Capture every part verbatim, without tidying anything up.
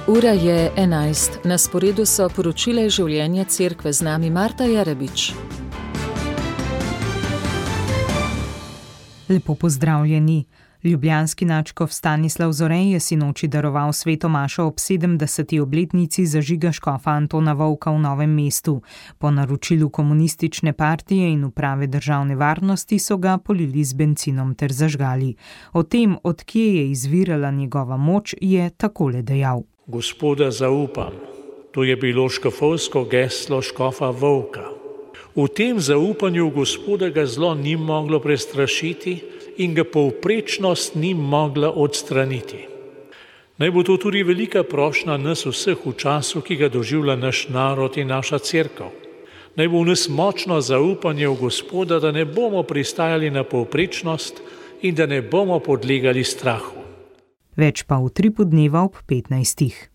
Ura je enajst. Na sporedu so poročila iz življenja cerkve, z nami Marta Jarabič. Lepo pozdravljeni. Ljubljanski nadškof Stanislav Zore je sinoči daroval sveto mašo ob sedemdeseti obletnici zažiga škofa Antona Vovka v Novem mestu. Po naročilu komunistične partije in uprave državne varnosti so ga polili z bencinom ter zažgali. O tem, od kje je izvirala njegova moč, je takole dejal. Gospoda zaupam. To je bilo škofovsko geslo škofa Vovka. V tem zaupanju Gospoda ga zlo ni moglo prestrašiti in ga povprečnost ni mogla odstraniti. Naj bo to tudi velika prošnja nas vseh v času, ki ga doživlja naš narod in naša cerkev. Naj bo v nas močno zaupanje v Gospoda, da ne bomo pristajali na povprečnost in da ne bomo podlegali strahu. Več pa v tripu dneva ob petnajstih.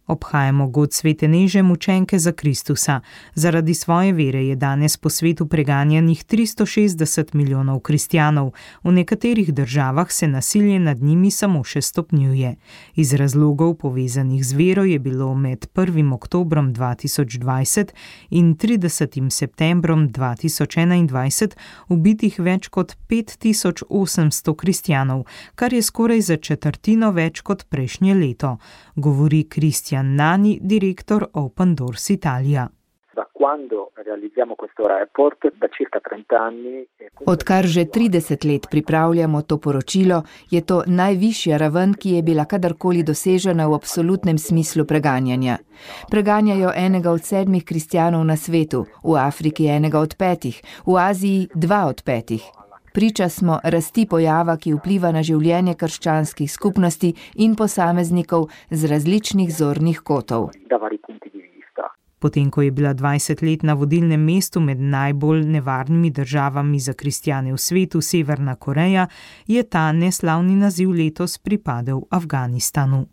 Obhajamo god svete Neže, mučenke za Kristusa. Zaradi svoje vere je danes po svetu preganjanih tristo šestdeset milijonov kristjanov. V nekaterih državah se nasilje nad njimi samo še stopnjuje. Iz razlogov povezanih z vero je bilo med prvim oktobrom dva tisoč dvajset in tridesetim septembrom dva tisoč enaindvajset ubitih več kot pet tisoč osemsto kristjanov, kar je skoraj za četrtino več kot prejšnje leto, govori Kristjan Nani, direktor Open Doors Italia. Odkar že trideset let pripravljamo to poročilo, je to najvišja raven, ki je bila kadarkoli dosežena v absolutnem smislu preganjanja. Preganjajo enega od sedmih kristjanov na svetu, v Afriki enega od petih, v Aziji dva od petih. Priča smo rasti pojava, ki vpliva na življenje krščanskih skupnosti in posameznikov z različnih zornih kotov. Potem, ko je bila dvajset let na vodilnem mestu med najbolj nevarnimi državami za kristjane v svetu, Severna Koreja, je ta neslavni naziv letos pripadel Afganistanu.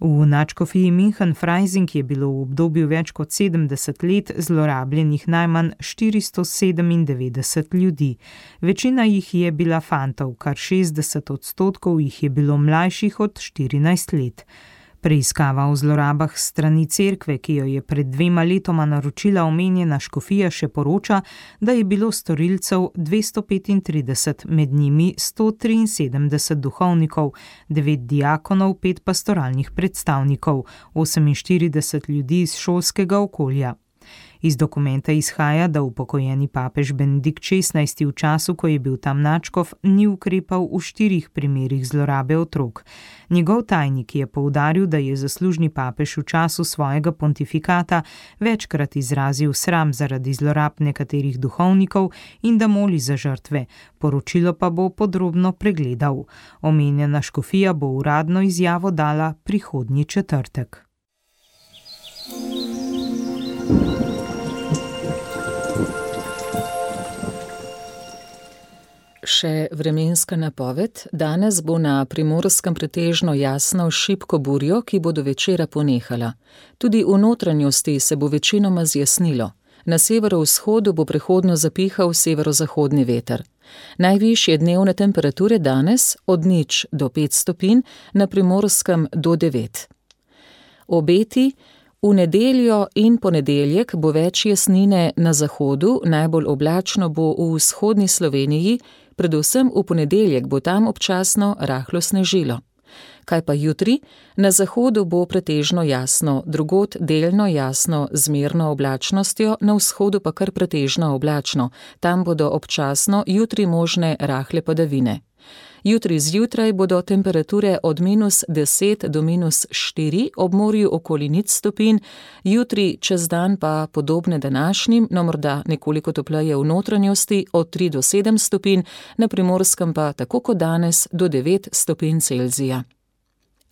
V nadškofiji München-Freising je bilo v obdobju več kot sedemdeset let zlorabljenih najmanj štiristo sedemindevetdeset ljudi. Večina jih je bila fantov, kar šestdeset odstotkov jih je bilo mlajših od štirinajst let. Preiskava o zlorabah strani cerkve, ki jo je pred dvema letoma naročila omenjena škofija, še poroča, da je bilo storilcev dvesto petintrideset, med njimi sto triinsedemdeset duhovnikov, devet diakonov, pet pastoralnih predstavnikov, oseminštirideset ljudi iz šolskega okolja. Iz dokumenta izhaja, da upokojeni papež Benedikt šestnajsti v času, ko je bil tam nadškof, ni ukrepal v štirih primerih zlorabe otrok. Njegov tajnik je poudaril, da je zaslužni papež v času svojega pontifikata večkrat izrazil sram zaradi zlorab nekaterih duhovnikov in da moli za žrtve. Poročilo pa bo podrobno pregledal. Omenjena škofija bo uradno izjavo dala prihodnji četrtek. Še vremenska napoved. Danes bo na Primorskem pretežno jasno šibko burjo, ki bo do večera ponehala. Tudi v notranjosti se bo večinoma zjasnilo. Na severovzhodu bo prehodno zapihal severozahodni veter. Najvišje dnevne temperature danes od nič do pet stopinj, na Primorskem do devet. Obeti. V nedeljo in ponedeljek bo več jasnine na zahodu, najbolj oblačno bo v vzhodni Sloveniji, predvsem v ponedeljek bo tam občasno rahlo snežilo. Kaj pa jutri? Na zahodu bo pretežno jasno, drugod delno jasno z zmerno oblačnostjo, na vzhodu pa kar pretežno oblačno. Tam bodo občasno jutri možne rahle padavine. Jutri zjutraj bodo temperature od minus deset do minus štiri, ob morju okoli nič stopinj, jutri čez dan pa podobne današnjim, no morda nekoliko topleje v notranjosti od tri do sedem stopinj, na Primorskem pa tako kot danes do devet stopinj Celzija.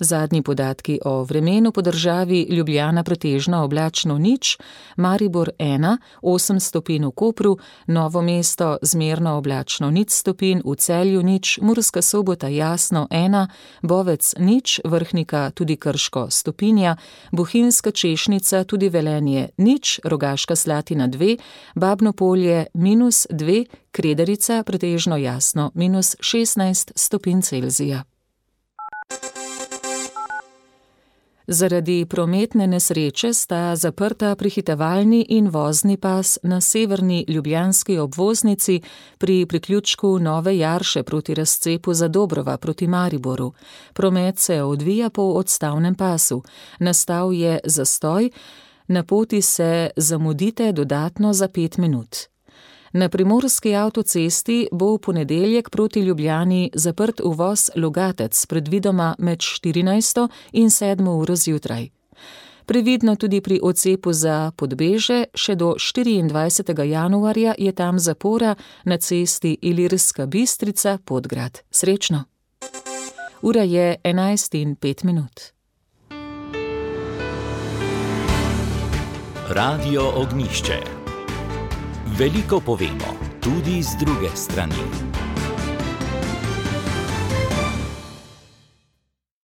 Zadnji podatki o vremenu po državi: Ljubljana pretežno oblačno nič, Maribor ena, osem stopinj v Kopru, Novo mesto zmerno oblačno nič stopinj, v Celju nič, Murska Sobota jasno ena, Bovec nič, Vrhnika tudi Krško stopinja, Bohinjska Češnica tudi Velenje nič, Rogaška Slatina dve, Babno Polje minus dve, Kredarica pretežno jasno minus šestnajst stopinj Celzija. Zaradi prometne nesreče sta zaprta prehitevalni in vozni pas na severni ljubljanski obvoznici pri priključku Nove Jarše proti razcepu Zadobrova proti Mariboru. Promet se odvija po odstavnem pasu. Nastal je zastoj, na poti se zamudite dodatno za pet minut. Na primorski avtocesti bo v ponedeljek proti Ljubljani zaprt uvoz Logatec, predvidoma med štirinajsto in sedmo uro zjutraj. Previdno tudi pri odcepu za Podbeže, še do štiriindvajsetega januarja je tam zapora na cesti Ilirska Bistrica-Podgrad. Srečno! Ura je enajst in pet minut. Radio Ognjišče. Veliko povemo, tudi z druge strani.